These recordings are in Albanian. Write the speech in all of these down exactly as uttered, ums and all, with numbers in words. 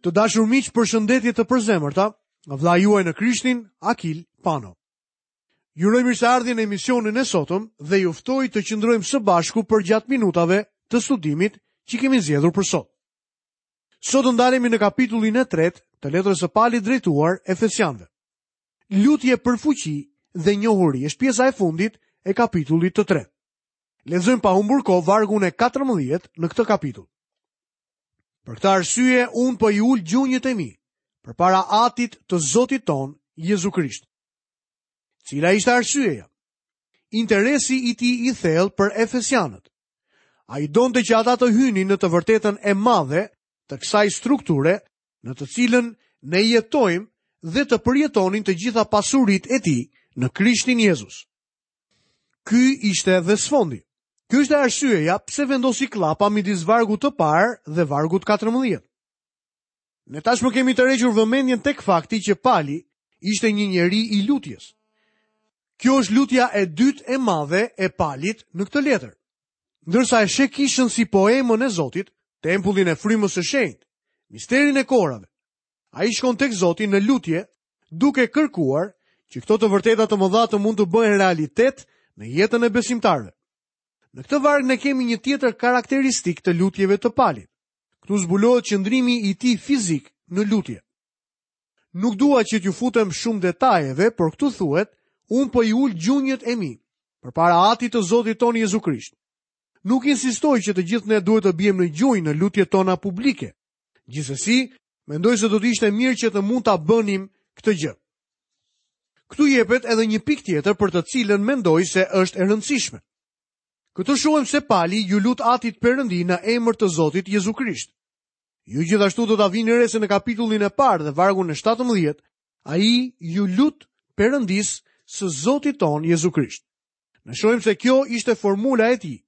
Të dashur miq, përshëndetje të përzemërta nga vëllai juaj në Krishtin, Akil Pano. Ju uroj mirëseardhjen në emisionin e sotëm dhe ju ftoj të qëndrojmë së bashku përgjatë minutave të studimit që kemi zgjedhur për sot. Sot do ndalemi në kapitullin e tretë të letrës së Palit drejtuar Efesianëve. Lutje për fuqi dhe njohuri është pjesa e fundit e kapitullit të tretë. Lexojmë pa humbur kohë vargun e katërmbëdhjetë në këtë kapitull. Për këtë arsye unë po i ul gjunjët e mi përpara Atit të Zotit ton, Jezu Krisht. Cila ishte arsyeja? Interesi i tij i thellë për Efesianët. Ai donte që ata të hynin në të vërtetën e madhe të kësaj strukture në të cilën ne jetojmë dhe të përjetonin të gjitha pasuritë e tij në Krishtin Jezus. Ky ishte dhe sfondi. Kjo ishte arsyeja pse vendosi klapa midis vargut të parë dhe vargut katërmbëdhjetë. Ne tashmë kemi tërhequr vëmendjen tek fakti që Pali ishte një njeri i lutjes. Kjo është lutja e dytë e madhe e Palit në këtë letër. Ndërsa e sheh kishën si poemën e Zotit, tempullin e frymës së shenjtë, misterin e korave, ai shkon tek Zoti në lutje, duke kërkuar që këto të vërteta të mëdha të mund të bëhen realitet në jetën e besimtarëve. Në këtë varg ne kemi një tjetër karakteristik të lutjeve të Palit. Këtu zbulohet qëndrimi i tij fizik në lutje. Nuk dua që t'ju futem shumë detajeve, por këtu thuhet, unë po i ul gjunjët e mi përpara Atit të Zotit ton Jezu Krisht. Nuk insistoj që të gjithë ne duhet të biem në gjunjë në lutjet tona publike. Gjithsesi, mendoj se do të ishte mirë që të mund ta bënim këtë gjë. Këtu jepet edhe një pikë tjetër për të cilën mendoj se është e rëndësishme. Këtu shohim se Pali ju lut Atit Perëndi në emër të Zotit Jezu Krisht. Ju gjithashtu do ta vini re se në kapitullin e parë dhe vargun e shtatëmbëdhjetë, ai ju lut Perëndis së Zotit ton Jezu Krisht. Ne shohim se kjo ishte formula e tij,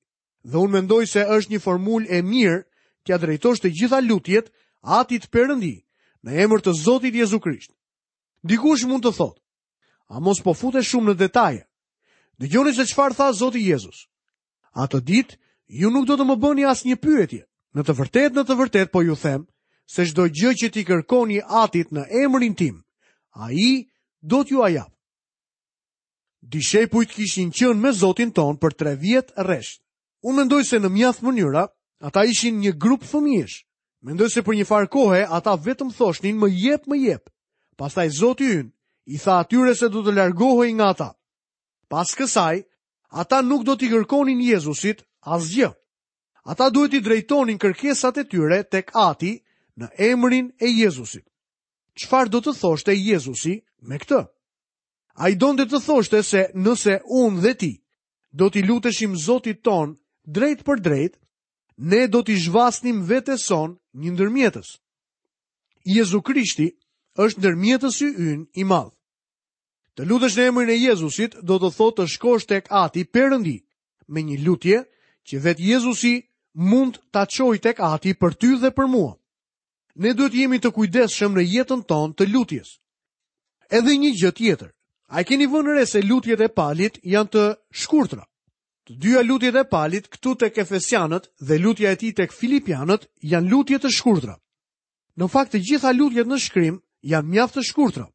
dhe unë mendoj se është një formulë e mirë t'ia drejtosh të gjitha lutjet Atit Perëndi në emër të Zotit Jezu Krisht. Dikush mund të thotë, a mos po futesh shumë në detaje? Dëgjoni se çfarë tha Zoti Jezus. Atë ditë ju nuk do të më bëni asnjë pyetje. Në të vërtetë, në të vërtetë po ju them se çdo gjë që ti kërkoni Atit në emrin tim, ai do t'jua jap. Dishepujt kishin qenë me Zotin ton për tre vjet rresht. Unë mendoj se në mjaft mënyra ata ishin një grup fëmijësh. Mendoj se për një farë kohe ata vetëm thoshnin më jep, më jep. Pastaj Zoti ynë i tha atyre se do të largohej nga ata. Pas kësaj, ata nuk do t'i kërkonin Jezusit asgjë. Ata duhet t'i drejtonin kërkesat e tyre tek Ati në emrin e Jezusit. Çfarë do të thoshte Jezusi me këtë? Ai donte të thoshte se nëse unë dhe ti do t'i luteshim Zotit ton drejt për drejt, ne do t'i zhvasnim vetes son një ndërmjetës. Jezu Krishti është ndërmjetësi ynë i madh. Të lutesh në emrin e Jezusit do të thotë të shkosh tek Ati Perëndi me një lutje që vetë Jezusi mund ta çojë tek Ati për ty dhe për mua. Ne duhet jemi të kujdesshëm në jetën tonë të lutjes. Edhe një gjë tjetër. A e keni vënë re se lutjet e Palit janë të shkurtra? Të dyja lutjet e Palit këtu tek Efesianët dhe lutja e tij tek Filipianët janë lutje të shkurtra. Në fakt të gjitha lutjet në shkrim janë mjaft të shkurtra.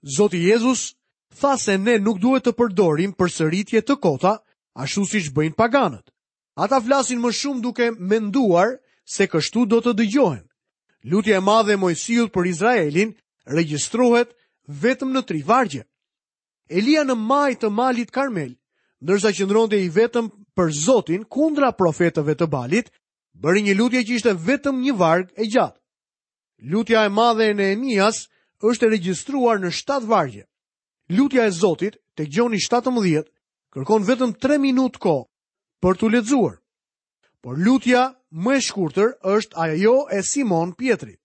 Zoti Jezus tha se ne nuk duhet të përdorim përsëritje të kota, ashtu siç bëjnë paganët. Ata flasin më shumë duke menduar se kështu do të dëgjohen. Lutja e madhe e Moisiut për Izraelin regjistrohet vetëm në tri vargje. Elia në maj të malit Karmel, ndërsa qëndronte i vetëm për Zotin kundra profetëve të Balit, bëri një lutje që ishte vetëm një varg e gjatë. Lutja e madhe e Nehemias është e regjistruar në shtatë vargje. Lutja e Zotit, tek Gjoni shtatëmbëdhjetë, kërkon vetëm tre minutë kohë për t'u lexuar. Por lutja më e shkurtër është ajo e Simon Pietrit.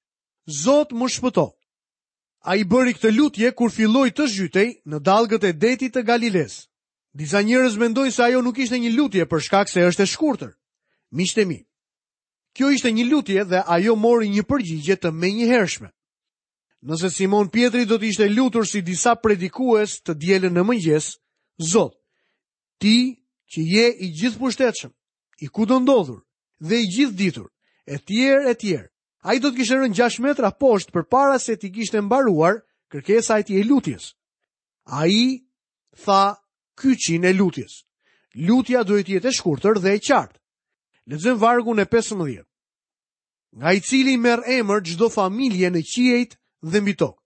Zot më shpëto. Ai bëri këtë lutje kur filloi të zhytej në dallgët e detit të Galiles. Disa njerëz mendojnë se ajo nuk ishte një lutje për shkak se është e shkurtër. Miqtë e mi, kjo ishte një lutje dhe ajo mori një përgjigje të menjëhershme. Nëse Simon Pietri do të ishte lutur si disa predikues të dielën në mëngjes, Zot, ti që je i gjithëpushtetshëm, i kudo ndodhur dhe i gjithë ditur, e tjerë e tjerë, Ai do të kishte rënë gjashtë metra poshtë përpara se t'i kishte mbaruar kërkesa e tij e lutjes. Ai tha kyçin e lutjes. Lutja duhet të jetë e shkurtër dhe e qartë. Lexojmë vargun e pesëmbëdhjetë. Nga i cili merr emër çdo familje në qiejt dhe mbi tokë.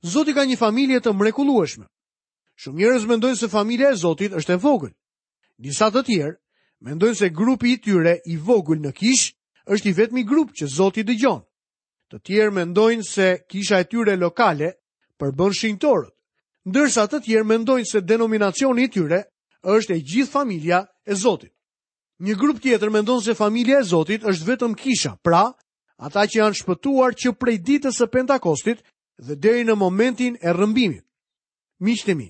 Zoti ka një familje të mrekullueshme. Shumë njerëz mendojnë se familja e Zotit është e vogël. Disa të tjerë mendojnë se grupi i tyre i vogël në kishë është i vetmi grup që Zoti dëgjon. Të tjerë mendojnë se kisha e tyre lokale përbën shenjtorët, ndërsa të tjerë mendojnë se denominacioni i tyre është e gjithë familja e Zotit. Një grup tjetër mendon se familja e Zotit është vetëm kisha, pra ata që janë shpëtuar që prej ditës së Pentakostit dhe deri në momentin e rrëmbimit. Miqtë e mi,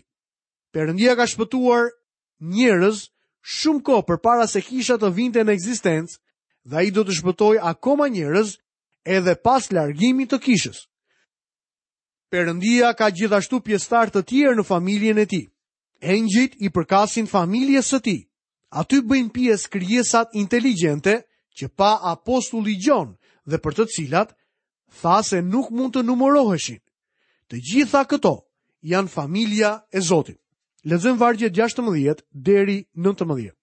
Perëndia ka shpëtuar njerëz shumë kohë përpara se kisha të vinte në ekzistencë dhe ai do të shpëtojë akoma njerëz edhe pas largimit të kishës. Perëndia ka gjithashtu pjesëtar të tjerë në familjen e tij. Engjëjt i përkasin familjes së tij. Aty bëjnë pjesë krijesat inteligjente që pa apostulli Gjon dhe për të cilat tha se nuk mund të numëroheshin. Të gjitha këto janë familja e Zotit. Lexojmë vargjet gjashtëmbëdhjetë deri nëntëmbëdhjetë.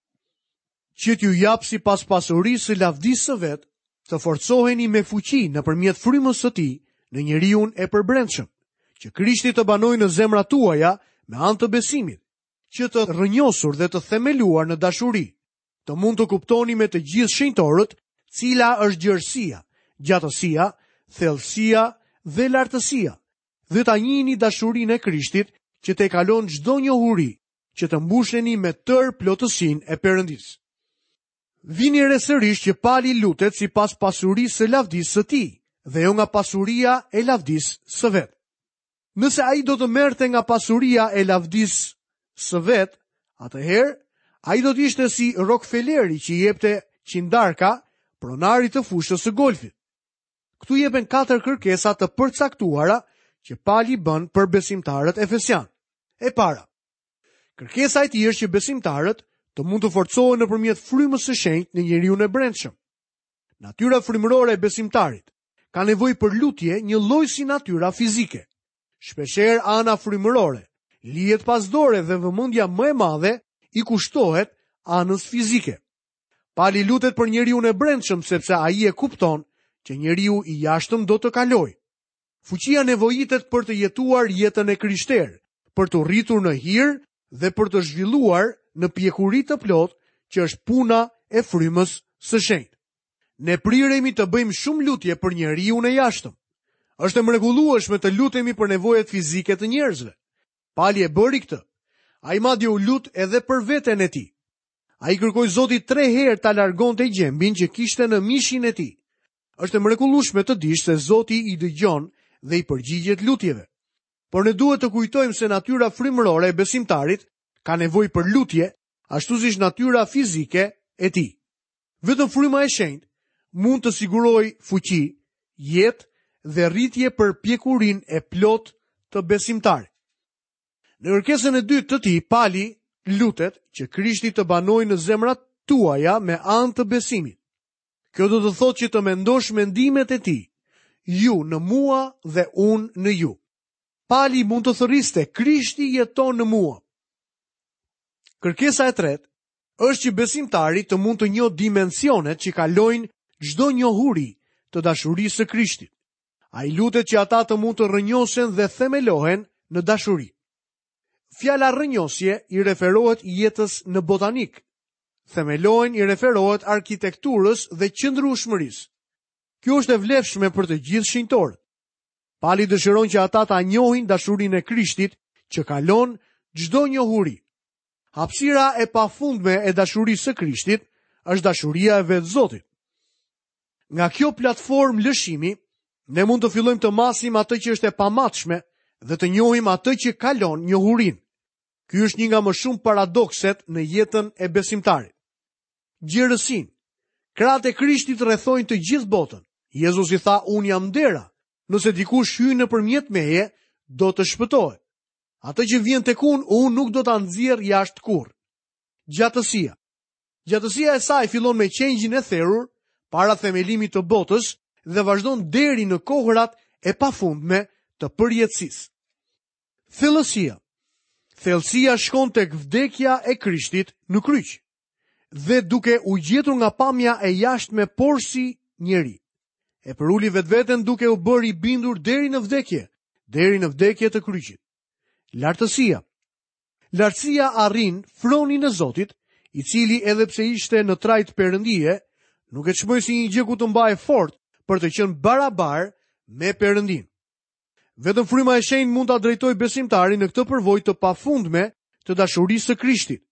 Që t'ju jap sipas pasurisë së lavdisë së vet, të forcoheni me fuqi nëpërmjet frymës së tij në njeriun e përbrendshëm, që Krishti të banojë në zemrat tuaja me anë të besimit, që të rrënjosur dhe të themeluar në dashuri, të mund të kuptoni me të gjithë shenjtorët cila është gjerësia, gjatësia, thellësia dhe lartësia, dhe ta njihni dashurinë e Krishtit që te kalon çdo njohuri, që të mbusheni me tërë plotësinë e Perëndisë. Vini re sërish që Pali lutet sipas pasurisë së lavdisë së tij, dhe jo nga pasuria e lavdisë së vet. Nëse ai do të merrte nga pasuria e lavdisë së vet, atëherë ai do të ishte si Rockefelleri që i jepte qindarka pronarit të fushës së golfit. Këtu jepen katër kërkesa të përcaktuara që Pali bën për besimtarët efesian. E para, kërkesa e tij është që besimtarët të mund të forcohen nëpërmjet frymës së shenjtë në njeriu e brendshëm. Natyra frymërore e besimtarit ka nevojë për lutje një lloj si natyra fizike. Shpeshherë ana frymërore lihet pas dore dhe vëmendja më e madhe i kushtohet anës fizike. Pali lutet për njeriu e brendshëm sepse ai e kupton që njeriu i jashtëm do të kalojë. Fuqia nevojitet për të jetuar jetën e krishterë, për të rritur në hir dhe për të zhvilluar në pjekuri të plotë, që është puna e frymës së shenjtë. Ne priremi të bëjmë shumë lutje për njeriu e jashtëm. Është e mrekullueshme të lutemi për nevojat fizike të njerëzve. Pali e bëri këtë. Ai madje u lut edhe për veten e tij. Ai kërkoi Zotit tre herë ta largonte gjembin që kishte në mishin e tij. Është e mrekullueshme të dish se Zoti i dëgjon dhe i përgjigjet lutjeve. Por ne duhet të kujtojmë se natyra frymërore e besimtarit ka nevojë për lutje, ashtu siç natyra fizike e tij. Vetëm fryma e shenjtë mund të sigurojë fuqi, jetë dhe rritje për pjekurinë e plotë të besimtarit. Në kërkesën e dytë të tij, Pali lutet që Krishti të banojë në zemrat tuaja me anë të besimit. Kjo do të thotë që të mendosh mendimet e tij, ju në mua dhe unë në ju. Pali mund të thërriste, Krishti jeton në mua. Kërkesa e tretë është që besimtari të mund të njohë dimensionet që kalojnë çdo njohuri të dashurisë së Krishtit. Ai lutet që ata të mund të rrënjosen dhe themelohen në dashuri. Fjala rrënjosje i referohet jetës në botanik. Themelohen i referohet arkitekturës dhe qëndrueshmërisë. Kjo është e vlefshme për të gjithë shenjtorët. Pali dëshiron që ata ta njohin dashurinë e Krishtit që kalon çdo njohuri. Hapësira e pafundme e dashurisë së Krishtit është dashuria e vetë Zotit. Nga kjo platformë lëshimi, ne mund të fillojmë të masim atë që është e pamatshme dhe të njohim atë që kalon njohurinë. Ky është një nga më shumë paradokset në jetën e besimtarit. Gjerësinë. Krahët e Krishtit rrethojnë të gjithë botën. Jezusi tha, unë jam dera. Nëse dikush hyn nëpërmjet meje, do të shpëtohet. Atë që vjen tek unë, unë nuk do ta nxjerr jashtë kurrë. Gjatësia. Gjatësia e saj fillon me qengjin e therur para themelimit të botës dhe vazhdon deri në kohërat e pafundme të përjetësisë. Thellësia. Thellësia shkon tek vdekja e Krishtit në kryq dhe duke u gjetur nga pamja e jashtme porsi njeri. E përuli vetveten duke u bërë i bindur deri në vdekje, deri në vdekje të kryqit. Lartësia. Lartësia arrin fronin e Zotit, i cili edhe pse ishte në trajt perëndie, nuk e çmoi si një gjë ku të mbajë fort për të qenë barabar me Perëndin. Vetëm fryma e shenjtë mund ta drejtojë besimtarin në këtë përvojë të pafundme të dashurisë së Krishtit.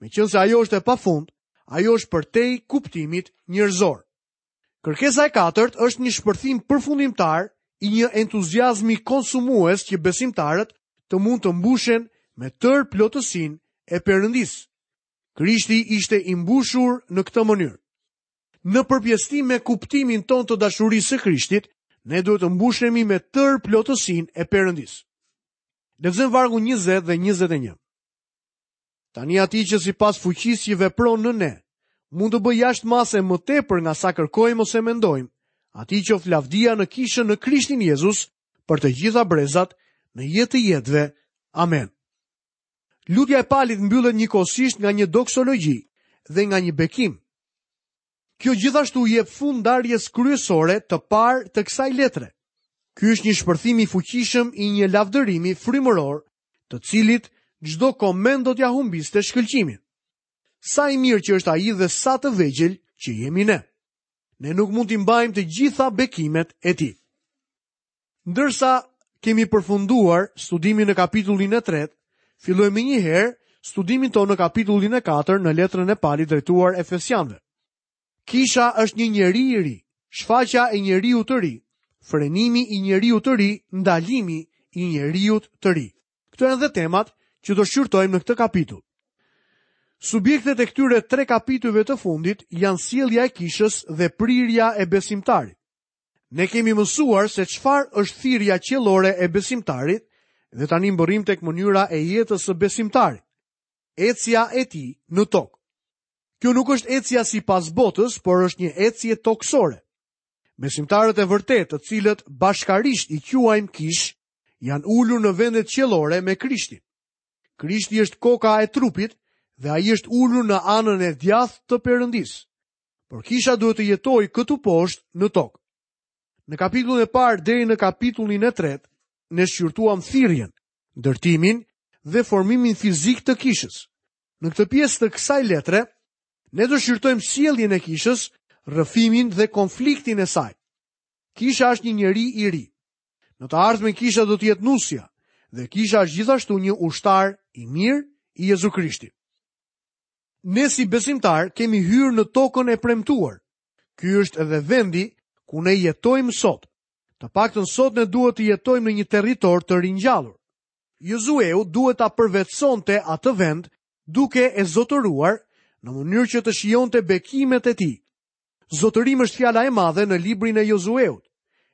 Meqense ajo është e pafund, ajo është përtej kuptimit njerëzor. Kërkesa e katërt është një shpërthim përfundimtar i një entuziazmi konsumues që besimtarët të mund të mbushen me tërë plotësinë e Perëndisë. Krishti ishte i mbushur në këtë mënyrë. Në përpjesëtim me kuptimin ton të dashurisë së Krishtit, ne duhet të mbushemi me tërë plotësinë e Perëndisë. Lexojmë vargun njëzet dhe njëzet e një. Tani atij që sipas fuqisë që vepron në ne, mund të bëjë jashtë mase më tepër nga sa kërkojmë ose mendojmë, atij qoftë lavdia në kishën në Krishtin Jezus për të gjitha brezat në jetë të jetëve. Amen. Lutja e Palit mbyllet njëkohësisht nga një doksologji dhe nga një bekim. Kjo gjithashtu i jep fund ndarjes kryesore të parë të kësaj letre. Ky është një shpërthim i fuqishëm i një lavdërimi frymëror, të cilit çdo koment do t'ja humbiste shkëlqimin. Sa i mirë që është ai dhe sa të vegjël që jemi ne. Ne nuk mund t'i mbajmë të gjitha bekimet e tij. Ndërsa kemi përfunduar studimin në kapitullin e tretë, fillojmë menjëherë studimin tonë në kapitullin e katërt në letrën e Palit drejtuar Efesianëve. Kisha është një njeri i ri, shfaqja e njeriu të ri, frenimi i njeriu të ri, ndalimi i njeriu të ri. Këto janë dhe temat që do shqyrtojmë në këtë kapitull. Subjektet e këtyre tre kapitujve të fundit janë sjellja e kishës dhe prirja e besimtarit. Ne kemi mësuar se çfarë është thirrja qiellore e besimtarit dhe tani mbërrim tek mënyra e jetës së besimtarit, ecja e tij në tokë. Kjo nuk është ecja sipas botës, por është një ecje tokësore. Besimtarët e vërtetë, të cilët bashkarisht i quajmë kish, janë ulur në vendet qiellore me Krishtin. Krishti është koka e trupit dhe ai është ulur në anën e djathtë të Perëndisë. Por kisha duhet të jetojë këtu poshtë në tokë. Në kapitullin e parë deri në kapitullin e tretë, ne shqyrtuam thirrjen, ndërtimin dhe formimin fizik të kishës. Në këtë pjesë të kësaj letre, ne do shqyrtojmë sjelljen e kishës, rrëfimin dhe konfliktin e saj. Kisha është një njeri i ri. Në të ardhmen kisha do të jetë nusja, dhe kisha është gjithashtu një ushtar i mirë i Jezu Krishtit. Ne si besimtar kemi hyrë në tokën e premtuar. Ky është edhe vendi ku ne jetojmë sot. Të paktën sot ne duhet të jetojmë në një territor të ringjallur. Jozueu duhet ta përvetësonte atë vend duke e zotëruar në mënyrë që të shijonte bekimet e tij. Zotërim është fjala e madhe në librin e Jozueut,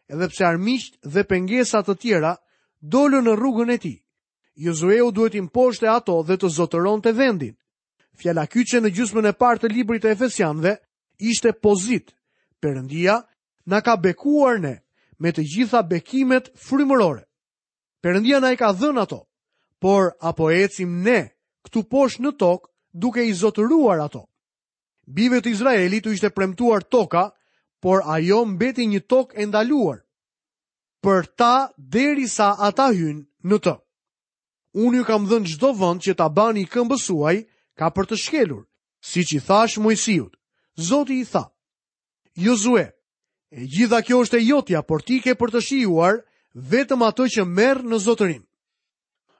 edhe pse armiqt dhe pengesa të tjera dolën në rrugën e tij. Jozueu duhet t'i mposhte ato dhe të zotëronte vendin. Fjala kyçe në gjysmën e parë të librit të Efesianëve ishte pozit. Perëndia na ka bekuar ne me të gjitha bekimet frymërore. Perëndia na i ka dhënë ato, por apo ecim ne këtu poshtë në tokë duke i zotëruar ato. Bijve të Izraelit u ishte premtuar toka, por ajo mbeti një tokë e ndaluar për ta derisa ata hynë në të. Unë ju kam dhënë çdo vend që ta bani këmbës suaj ka për të shkelur, siç i thash Moisiut. Zoti i tha: Jozue, e gjitha kjo është e jotja, por ti ke për të shijuar vetëm atë që merr në zotërim.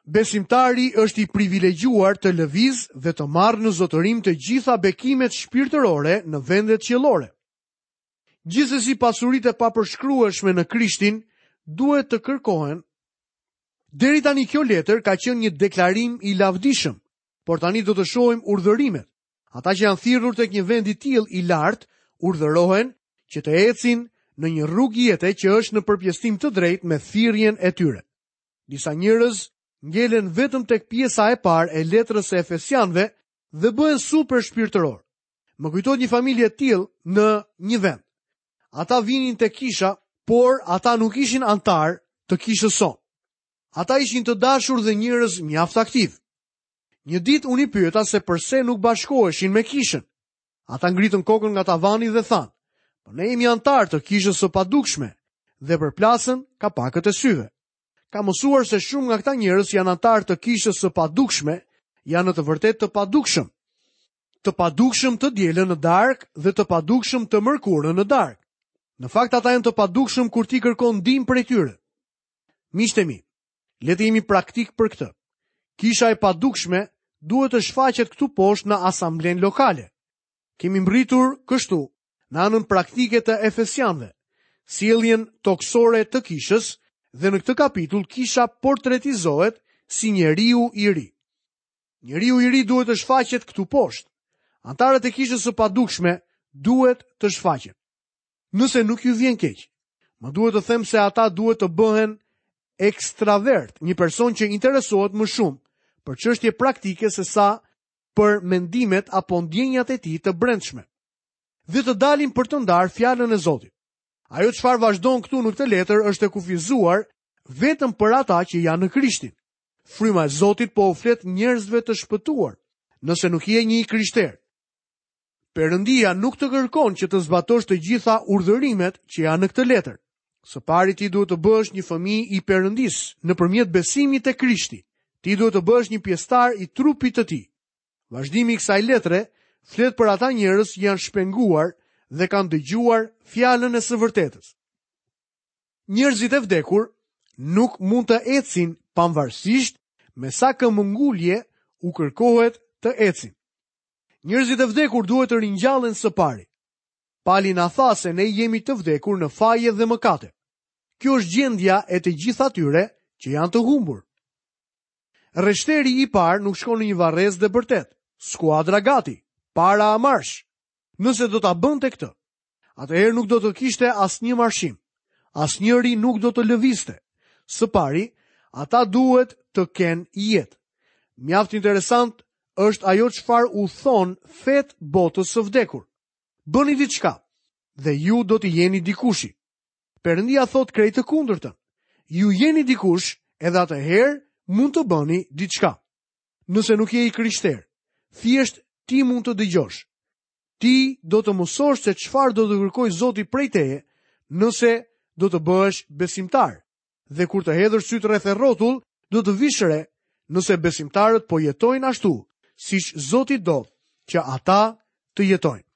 Besimtari është i privilegjuar të lëviz dhe të marrë në zotërim të gjitha bekimet shpirtërore në vendet qiellore. Gjithsesi pasuritë e papërshkrueshme në Krishtin duhet të kërkohen. Deri tani kjo letër ka qenë një deklarim i lavdishëm, por tani do të shohim urdhërimet. Ata që janë thirrur tek një vend i tillë i lartë urdhërohen që të ecin në një rrugë jete që është në përpjestim të drejtë me thirrjen e tyre. Disa njerëz ngelen vetëm tek pjesa e parë e letrës së Efesianëve dhe bëhen super shpirtëror. Më kujtohet një familje e tillë në një vend. Ata vinin te kisha, por ata nuk ishin anëtar të kishës sonë. Ata ishin të dashur dhe njerëz mjaft aktiv. Një ditë unë i pyeta se përse nuk bashkoheshin me kishën. Ata ngritën kokën nga tavani dhe thanë, po ne jemi anëtar të kishës së padukshme dhe përplasën kapakët e syve. Kam mësuar se shumë nga këta njerëz janë anëtar të kishës së padukshme, janë në të vërtetë të padukshëm. Të padukshëm të dielën në darkë dhe të padukshëm të mërkurën në darkë. Në fakt ata janë të padukshëm kur ti kërkon ndihmë prej tyre. Miqtë e mi, le të jemi praktik për këtë. Kisha e padukshme duhet të shfaqet këtu poshtë në asamblenë lokale. Kemi mbritur kështu në anën praktike të Efesianëve, sjelljen toksore të kishës, dhe në këtë kapitull kisha portretizohet si njeriu i ri. Njeriu i ri duhet të shfaqet këtu poshtë. Antarët e kishës së padukshme duhet të shfaqen. Nëse nuk ju vjen keq, më duhet të them se ata duhet të bëhen ekstravert, një person që interesohet më shumë për çështje praktike se sa për mendimet apo ndjenjat e tij të brendshme. Dhe të dalin për të ndarë fjalën e Zotit. Ajo çfarë vazhdon këtu në këtë letër është e kufizuar vetëm për ata që janë në Krishtin. Fryma e Zotit po u flet njerëzve të shpëtuar, nëse nuk je një i krishterë. Perëndia nuk të kërkon që të zbatosh të gjitha urdhërimet që janë në këtë letër. Së pari ti duhet të bëhesh një fëmijë i Perëndisë nëpërmjet besimit te Krishti. Ti duhet të bëhesh një pjesëtar i trupit të tij. Vazhdimi i kësaj letre flet për ata njerëz që janë shpenguar dhe kanë dëgjuar fjalën e së vërtetës. Njerëzit e vdekur nuk mund të ecin pavarësisht me sa këmbëngulje u kërkohet të ecin. Njerëzit e vdekur duhet të ringjallen së pari. Pali na tha se ne jemi të vdekur në faje dhe mëkate. Kjo është gjendja e të gjithë atyre që janë të humbur. Rreshteri i parë nuk shkon në një varrez dhe bërtet. Skuadra gati, para a marsh. Nëse do ta bënte këtë, atëherë nuk do të kishte asnjë marshim. Asnjëri nuk do të lëvizte. Së pari, ata duhet të kenë jetë. Mjaft interesant është ajo çfarë u thon fet botës së vdekur. Bëni diçka dhe ju do të jeni dikushi. Perëndia thot krejt të kundërtën. Ju jeni dikush edhe atëherë mund të bëni diçka. Nëse nuk je i krishterë, thjesht ti mund të dëgjosh. Ti do të mësosh se çfarë do të kërkojë Zoti prej teje nëse do të bëhesh besimtar. Dhe kur të hedhësh syt rreth e rrotull, do të vish re nëse besimtarët po jetojnë ashtu, siç Zoti do që ata të jetojnë.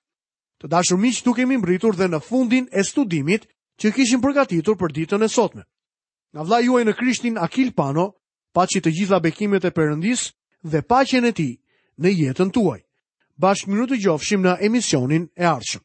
Të dashur miq, këtu kemi mbritur dhe në fundin e studimit që kishim përgatitur për ditën e sotme. Nga vëllai juaj në Krishtin Akil Pano, paçi të gjitha bekimet e Perëndisë dhe paqen e tij në jetën tuaj. Bashkë mirudëgjofshim në emisionin e ardhshëm.